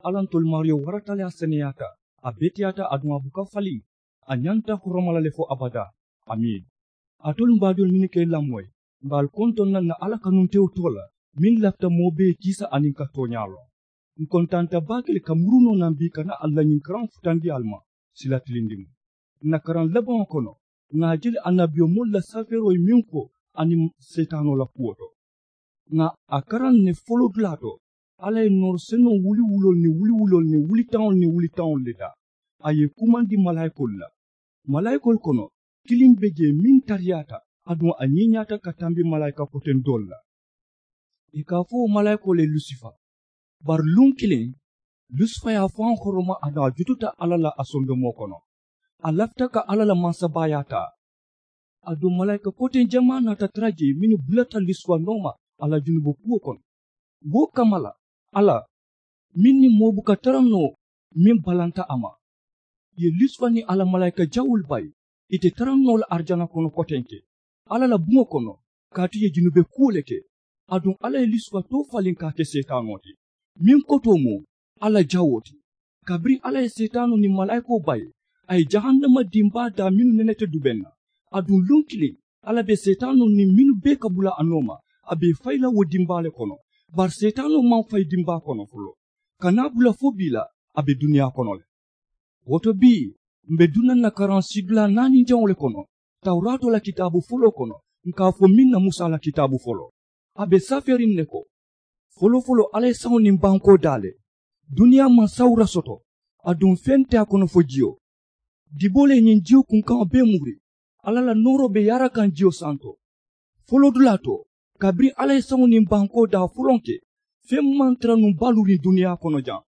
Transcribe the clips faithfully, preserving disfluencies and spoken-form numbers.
Alla ntolu maariyo warata le a seneyaata, a beteyaata aduŋ a buka faliŋ. A ñanta horoma la le fo abadaa. Amiin. Alitolu m̀ baadiŋolu mennu ka i lamoyi, m̀ be ali kontoŋ na ǹ na alla kanuntewo too la, meŋ lafita moo bee kiisa aniŋ ka tooñaa loŋ. Ǹ kontaanta baake le ka muru noo naŋ bii ka naa ali la ñiŋ karaŋo futandi ali ma. Sila tilindiŋo, ǹ na karaŋ labaŋo kono, ŋà a je le annabiyomoolu la safeeroo ye meŋ fo aniŋ seetaanoo la kuwo to. Ŋà a karaŋ ne folodulaa to, alla ye nooro senoo wuliwuloolu niŋ wuliwuloolu niŋ wulitaŋolu niŋ wulitaŋolu le daa. A ye i kumandi malaayikoolu la. Malaayikoolu kono, kiliŋ be jee meŋ tariyaata, aduŋ a ñiiñaata ka tambi malaayika kotendoolu la. Ì ka a fo wo malaayikoo le lusifa. Bari luŋ kiliŋ, lusifa ye a faŋ horoma aduŋ a jututa alla la a sondomoo kono. A lafita ka alla la mansabaayaa taa. Aduŋ malaayika koteŋ jamaa naata tara jee mennu bulata lusifa nooma a la junubo kuwo kono. Wo kamma la, alla meŋ niŋ moo buka tara noo meŋ balanta a ma, ì ye lusifa niŋ a la malaayika jawuulu bayi. Ì te tara noo la arijana kono kotenke alla la buŋo kono, kaatu ì ye junube kuwo le ke. Aduŋ alla ye lusifa too faliŋ ka a ke seetaanoo ti, meŋ kotoo mu alla jawoo ti. Kabiriŋ alla ye seetaanoo niŋ malaayikoo bayi, a ye jahannama dimbaa daa mennu nenete dubeŋ na. Aduŋ luŋ kiliŋ, alla be seetaanoo niŋ mennu bee ka bula a nooma, a be ì fayi la wo dimbaa le kono. Bari seetaanoo maŋ fayi dimbaa kono foloo, kana a bula fo bii la, a be duniyaa kono le. Wo to bii, m̀ be duŋ na ǹ na karaŋ siidulaa naaninjaŋo le kono, tawuraatoo la kitaabu foloo kono, ǹ ka a fo meŋ na musa la kitaabu foloo. A be safeeriŋ ne ko, folofoloo alla ye saŋo niŋ bankoo daa le. Duniyaa maŋ sawura soto, aduŋ feŋ te a kono fo jiyo. Diboo le ye ñiŋ jiyo kunkaŋo bee muri. Alla la nooroo be yaara kaŋ jiyo santo. Folodulaa to, kabiriŋ alla ye saŋo niŋ bankoo daa folonke, feŋ maŋ tara nuŋ baluuriŋ duniyaa kono jaŋ.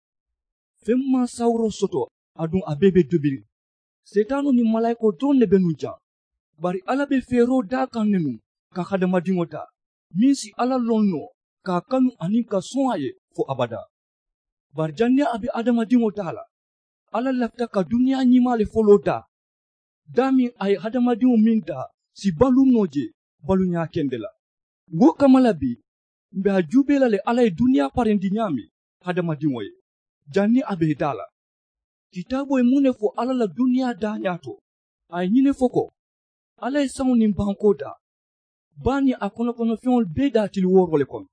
Feŋ maŋ sawuroo soto, aduŋ a bee be dubiriŋ. Seetaanoo niŋ malaayikoo doroŋ ne be nuŋ jaŋ. Bari alla be feeroo daa kaŋ ne nuŋ ka hadamadiŋo daa, meŋ si alla loŋ noo ka a kanu aniŋ ka soŋ a ye fo abadaa. Bari janniŋ a be hadamadiŋo daa la, alla lafita ka duniyaa ñimaa le foloo daa. Daameŋ a ye hadamadiŋo meŋ daa si baluu noo jee baluuñaa kende la. Wo kamma la bii, m̀ be a juubee la le alla ye duniyaa parendi ñaameŋ hadamadiŋo ye, janniŋ a be ì daa la. Kitaaboo ye muŋ ne fo alla la duniyaa daañaa to? A ye ñiŋ ne fo ko, alla ye saŋo niŋ bankoo daa, baa niŋ a konokonofeŋolu bee daa tili wooroo le kono.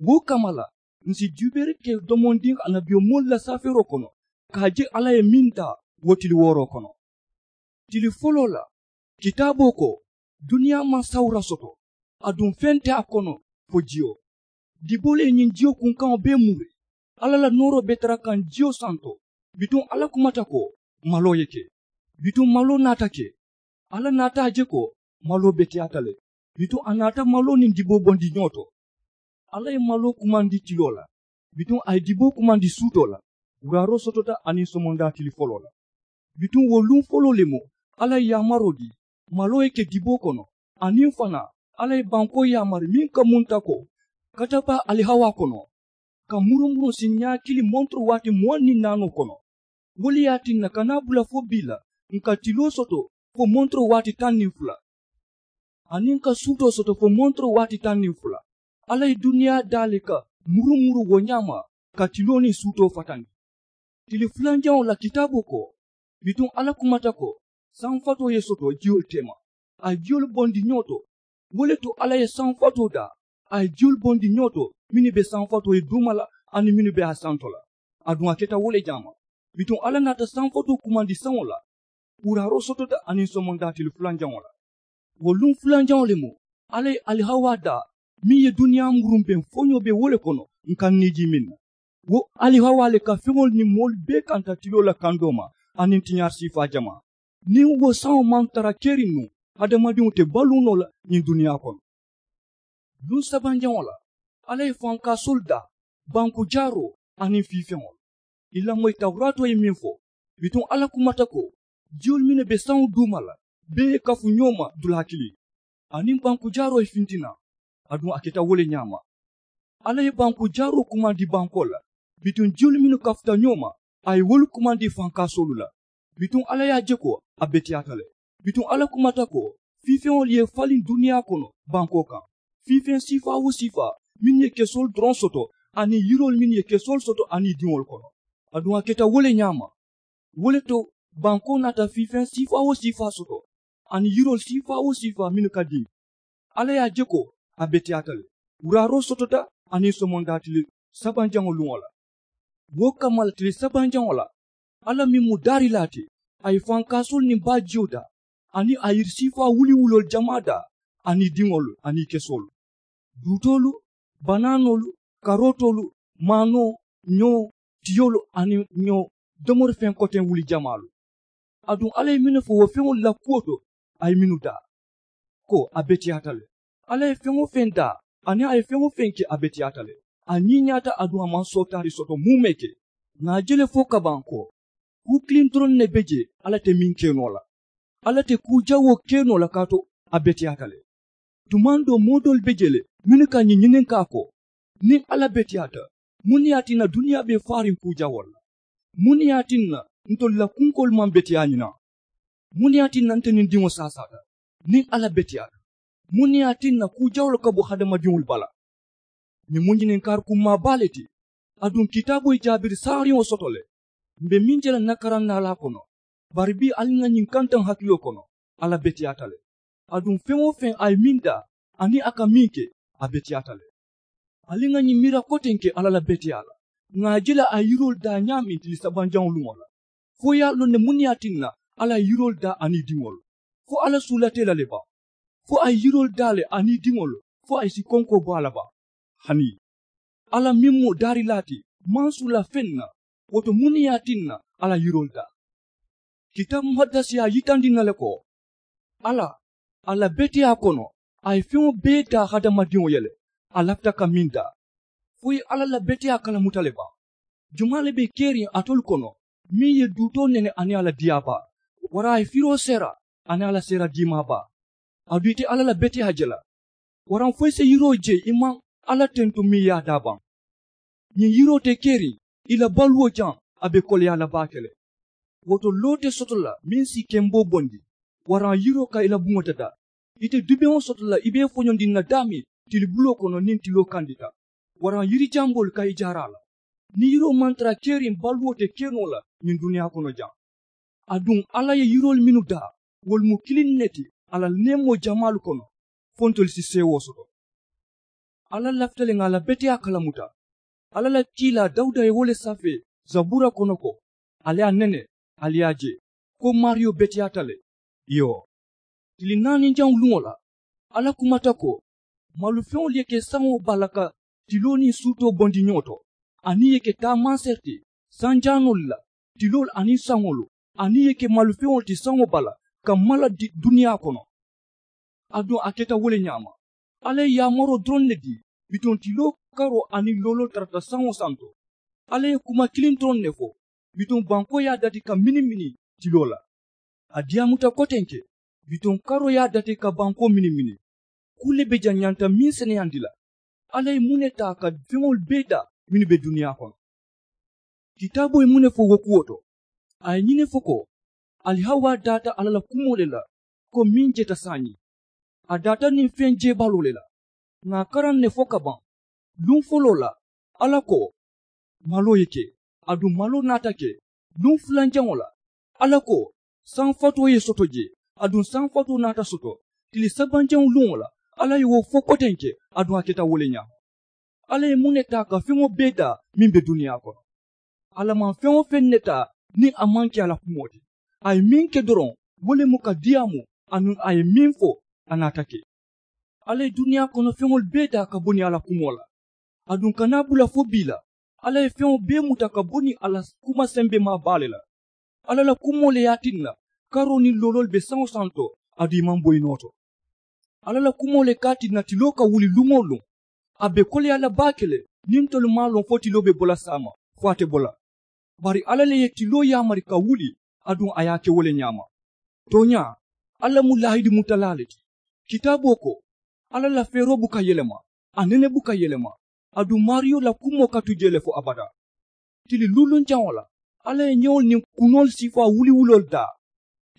Wo kamma la, ǹ si juubeeri ke domondiŋ annabiyomoolu la safeeroo kono ka a je alla ye meŋ daa wo tili wooroo kono. Tili foloo la, kitaaboo ko, duniyaa maŋ sawura soto, aduŋ feŋ te a kono fo jiyo. Diboolu ye ñiŋ jiyo kunkaŋo bee muri. Alla la nooroo be tara kaŋ jiyo santo. Bituŋ alla kumata ko, maloo ye ke. Bituŋ maloo naata ke. Alla naata a je ko maloo beteyaata le. Bituŋ a naata maloo niŋ diboo bondi ñoo to. Alla ye maloo kumandi tiloo la. Bituŋ a ye diboo kumandi suutoo la. Wuraaroo sotota aniŋ somondaa tili foloo la. Bituŋ wo luŋ foloo le mu alla ye yaamaroo dii maloo ye ke diboo kono. Aniŋ fanaa, alla ye bankoo yaamari meŋ ka munta ko, kata baa alihawaa kono, ka murumuruŋ siiñaa kiliŋ montoro waati muwaŋ niŋ naanoo kono. Wo le ye a tinna ka naa bula fo bii la, ǹ ka tiloo soto fo montoro waati taŋ niŋ fula, aniŋ ǹ ka suutoo soto fo montoro waati taŋ niŋ fula. Alla ye duniyaa daa le ka murumuru wo ñaama, ka tiloo niŋ suutoo fatandi. Tili fulanjaŋo la kitaaboo ko, bituŋ alla kumata ko, saŋ fatoo ye soto jiyolu teema, a ye jiyolu bondi ñoo to. Wo le to alla ye saŋ fatoo daa, a ye jiyolu bondi ñoo to, mennu be saŋ fatoo ye duuma la aniŋ mennu be a santo la. Aduŋ a keta wo le ñaama. Bituŋ alla naata saŋ fatoo kumandi saŋo la. Wuraaroo sotota aniŋ somondaa tili fulanjaŋo la. Wo luŋ fulanjaŋo le mu alla ye alihawaa daa, meŋ ye duniyaa murumbeŋ foñoo be wo le kono, ǹ ka ǹ niijii meŋ na. Wo alihawaa le ka feŋolu niŋ moolu bee kanta tiloo la kandoo ma, aniŋ tiñaari siifaa jamaa. Niŋ wo saŋo maŋ tara keriŋ nuŋ, hadamadiŋo te baluu noo la ñiŋ duniyaa kono. Luŋ sabanjaŋo la, alla ye fankaasoolu daa, banku jaaroo aniŋ fiifeŋolu. I lamoyi tawuraatoo ye meŋ fo, bituŋ alla kumata ko, jiyolu mennu be saŋo duuma la bee ye kafu ñoo ma dulaa kiliŋ. Aniŋ banku jaaroo ye finti naŋ, aduŋ a keta wo le ñaama. Alla ye banku jaaroo kumandi bankoo la, bituŋ jiyolu mennu kafuta ñoo ma, a ye wolu kumandi fankaasoolu la. Bituŋ alla ye a je ko a beteyaata le. Bituŋ alla kumata ko, fiifeŋolu ye faliŋ duniyaa kono bankoo kaŋ, fiifeŋ siifaa-wo-siifaa mennu ye kesoolu doroŋ soto, aniŋ yiroolu mennu ye kesoolu soto aniŋ i diŋolu kono. Aduŋ a keta wo le ñaama. Wo le to bankoo naata fiifeŋ siifaa-wo-siifaa soto aniŋ yiroolu siifaa-wo-siifaa mennu ka diŋ. Alla ye a je ko a beteyaata le. Wuraaroo sotota aniŋ somondaa tili sabanjaŋo luŋo la. Wo kamma la tili sabanjaŋo la, alla meŋ mu daarilaa ti, a ye fankaasoolu niŋ baajiyo daa aniŋ a yiri siifaa wuliwuloolu jamaa daa aniŋ i diŋolu aniŋ i kesoolu, duutoolu, banaanoolu, karootoolu, maanoo, ñoo, tiyoolu aniŋ ñoo domori feŋ koteŋ wuli jamaalu. Aduŋ alla ye mennu fo wo feŋolu la kuwo to, a ye mennu daa ko a beteyaata le. Alla ye feŋ-wo-feŋ daa aniŋ a ye feŋ-wo-feŋ ke a beteyaata le. A ñiiñaata aduŋ a maŋ sootaari soto muumee ke. Ŋà a je le fo ka baŋ ko kuu kiliŋ doroŋ ne be jee alla te meŋ ke noo la. Alla te kuu jawoo ke noo la kaatu a beteyaata le. Tumaŋ doo moo doolu be jee le mennu ka ñiŋ ñininkaa ko, niŋ alla beteyaata, muŋ ne ye a tinna duniyaa be faariŋ kuu jawoolu la? Muŋ ne ye a tinna ntolu la kunkoolu maŋ beteyaa ñiŋ na? Muŋ ne ye a tinna nte niŋ diŋo saasaata? Niŋ alla beteyaata, muŋ ne ye a tinna kuu jawoolu ka bo hadamadiŋolu bala? Ñiŋ mu ñininkaari kummaa baa le ti. Aduŋ kitaaboo ye jaabiri saariŋo soto le. M̀ be meŋ je la ǹ na karaŋ naalaa kono, bari bii ali ŋà ñiŋ kantaŋ hakiloo kono. Alla beteyaata le. Aduŋ feŋ-wo-feŋ a ye meŋ daa aniŋ a ka meŋ ke, a beteyaata le. Ali ŋà ñiŋ miira kotenke alla la beteyaa la. Ŋà a je le a ye yiroolu daa ñaameŋ tili sabanjaŋo luŋo la. Fo i ye a loŋ ne muŋ ne ye a tinna alla ye yiroolu daa aniŋ i diŋolu? Fo alla suulata i la le baŋ? Fo a ye yiroolu daa le aniŋ i diŋolu fo a ye si konkoo bo a la baŋ? Hanii alla meŋ mu daarilaa ti maŋ suula feŋ na. Wo to muŋ ne ye a tinna alla ye yiroolu daa? Kitaabu muhaddasi ye a yitandi ǹ na le ko, alla a la beteyaa kono, a ye feŋo bee daa hadamadiŋo ye le. A lafita ka meŋ daa? Fo i ye alla la beteyaa kalamuta le baŋ? Jumaa le be keriŋ alitolu kono meŋ ye duutoo nene aniŋ a la diyaa baa, waraŋ a ye firoo seera aniŋ a la seera diimaa baa? Aduŋ i te alla la beteyaa je la? Waraŋ fo i si yiroo je i maŋ alla tentu meŋ ye a daa baŋ? Ñiŋ yiroo te keriŋ i la baluwo jaŋ, a be koleyaa la baake le. Wo to loo te soto la meŋ si i kemboo bondi, waraŋ yiroo ka i la buŋo dadaa. I te dubeŋo soto la i be i foñondiŋ na daameŋ tilibuloo kono niŋ tiloo kandita, waraŋ yiri jamboolu ka i jaara a la. Niŋ yiroo maŋ tara keriŋ baluwo te ke noo la ñiŋ duniyaa kono jaŋ. Aduŋ alla ye yiroolu mennu daa, wolu mu kiliŋ ne ti a la neemoo jamaalu kono, fo ntolu si seewoo soto. Alla lafita le ŋà a la beteyaa kalamuta. Alla la kiilaa dawuda ye wo le safee zabuura kono ko, ali ye a nene, ali ye a je ko maariyo beteyaata le. Iyoo, tili naaninjaŋo luŋo la, alla kumata ko, malufeŋolu ye ke saŋo baa la ka tiloo niŋ suutoo bondi ñoo to, aniŋ i ye ke taamaaseri ti sanjaanoolu la, tiloolu aniŋ saŋolu, aniŋ i ye ke malufeŋolu ti saŋo baa la ka mala duniyaa kono. Aduŋ a keta wo le ñaama. Alla ye yaamaroo doroŋ ne dii, bituŋ tiloo karoo aniŋ looloo tarata saŋo santo. Alla ye kuma kiliŋ doroŋ ne fo, bituŋ bankoo ye a dati ka mini mini tiloo la. A diyaamuta kotenke, bituŋ karoo ye a dati ka bankoo mini mini. Kuu le be jaŋ ñanta meŋ seneyandi la. Alla ye muŋ ne taa ka feŋolu bee daa mennu be duniyaa kono? Kitaaboo ye muŋ ne fo wo kuwo to? A ye ñiŋ ne fo ko, ali hawaa daata alla la kumoo le la, ko meŋ jeta saayiŋ. A daata niŋ feŋ jeebaloo le la. Ŋà a karaŋ ne fo ka baŋ. Luŋ foloo la, alla ko, maloo ye ke. Aduŋ maloo naata ke. Luŋ fulanjaŋo la, alla ko, saŋ fatoo ye soto jee. Aduŋ saŋ fatoo naata soto. Tili sabanjaŋo luŋo la, alla ye wo fo kotenke. Aduŋ a keta wo le ñaama. Alla ye muŋ ne taa ka feŋo bee daa meŋ be duniyaa kono? Alla maŋ feŋ-wo-feŋ ne taa niŋ a maŋ ke a la kumoo ti. A ye meŋ ke doroŋ, wo le mu ka diyaamu. Aduŋ a ye meŋ fo, a naata ke. Alla ye duniyaa kono feŋolu bee daa ka bo niŋ a la kumoo la. Aduŋ ka naa bula fo bii la, alla ye feŋo bee muta ka bo niŋ a la kuma sembemaa baa le la. Alla la kumoo le ye a tinna karoo niŋ looloolu be saŋo santo, aduŋ i maŋ bo i noo to. Alla la kumoo le ka a tinna tiloo ka wuli luŋ-wo-luŋ. A be koleyaa la baake le. Niŋ ntolu maŋ a loŋ fo tiloo be bo la saama, fo a te bo la. Bari alla le ye tiloo yaamari ka wuli, aduŋ a ye a ke wo le ñaama. Tooñaa, alla mu laahidi mutalaa le ti. Kitaaboo ko, alla la feeroo buka yelema, a nene buka yelema. Aduŋ maariyo la kumoo ka tu jee le fo abadaa. Tili luulunjaŋo la, alla ye ñewolu niŋ kunoolu siifaa wuliwuloolu daa.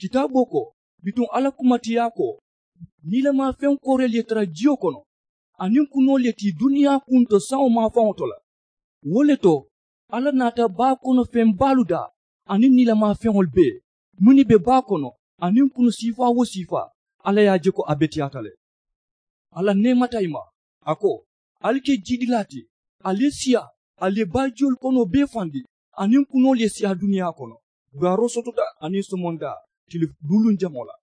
Kitaaboo ko, bituŋ alla kumatiyaa ko, niilamaa feŋ kooreelu ye tara jiyo kono, aniŋ kunoolu ye tii duniyaa kunto saŋo maafaŋo to la. Wo le to, Alla naata baa kono feŋ baalu daa aniŋ niilamaa feŋolu bee mennu be baa kono aniŋ kunu siifaa wo siifaa. Alla ye a je ko a beteyaata le. Alla neemata i ma, a ko, ali ke jiidilaa ti. Ali ye siyaa, ali ye baajiyolu konoo bee fandi, aniŋ kunoolu ye siyaa duniyaa kono. Duwaaroo sotota aniŋ somondaa tili luuluŋ jaŋo la.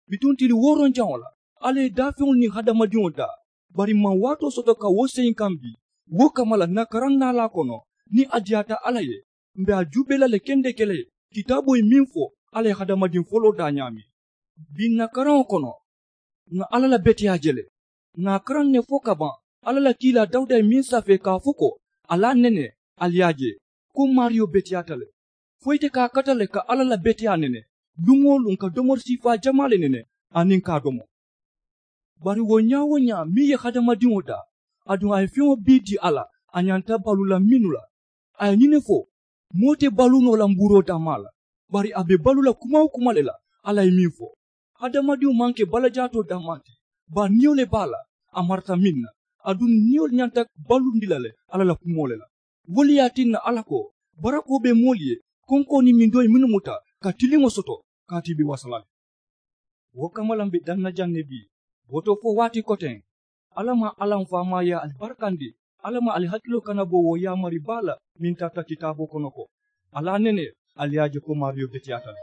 Bituŋ tili wooroŋ jaŋo la, alla ye daafeŋolu niŋ hadamadiŋo daa. Bari maŋ waatoo soto ka wo seyiŋ kaŋ bii. Wo kamma la ǹ na karaŋ naalaa kono, niŋ a diyaata alla ye, m̀ be a juubee la le kendeke le. Kitaaboo ye meŋ fo, alla ye hadamadiŋ foloo daa ñaameŋ. Bii ǹ na karaŋo kono, ŋà alla la beteyaa je le. Ŋà a karaŋ ne fo ka baŋ. Alla la kiilaa dawuda ye meŋ safee ka a fo ko, ali a nene, ali ye a je, ko maariyo beteyaata le. Fo ite ka a kata le ka alla la beteyaa nene luŋ-wo-luŋ ka domori siifaa jamaa le nene, aniŋ ka a domo. Bari wo ñaa-wo-ñaa meŋ ye hadamadiŋo daa, aduŋ a ye feŋo bee dii a la, a ñanta baluu la mennu la. A ye ñiŋ ne fo, moo te baluu noo la mbuuroo dammaa la, bari a be baluu la kuma-wo-kuma le la. Alla ye meŋ fo, hadamadiŋo maŋ ke balajaatoo dammaa ti, bari niyo le be a la. A marata meŋ na, aduŋ niyolu ñanta baluundi la le alla la kumoo le la. Wo le ye a tinna alla ko, barakoo be moolu ye konkoo niŋ mindoo ye mennu muta ka tiliŋo soto, kaatu i be wasa la le. Wo kamma la m̀ be daŋ na jaŋ ne bii, wo to fo waati koteŋ. Alla maŋ alla m̀ faamaayaa ali barakandi. Alla maŋ ali hakiloo kana bo wo yaamari baa la meŋ tarata kitaaboo kono ko, ali a nene, ali ye a je ko maariyo beteyaata le.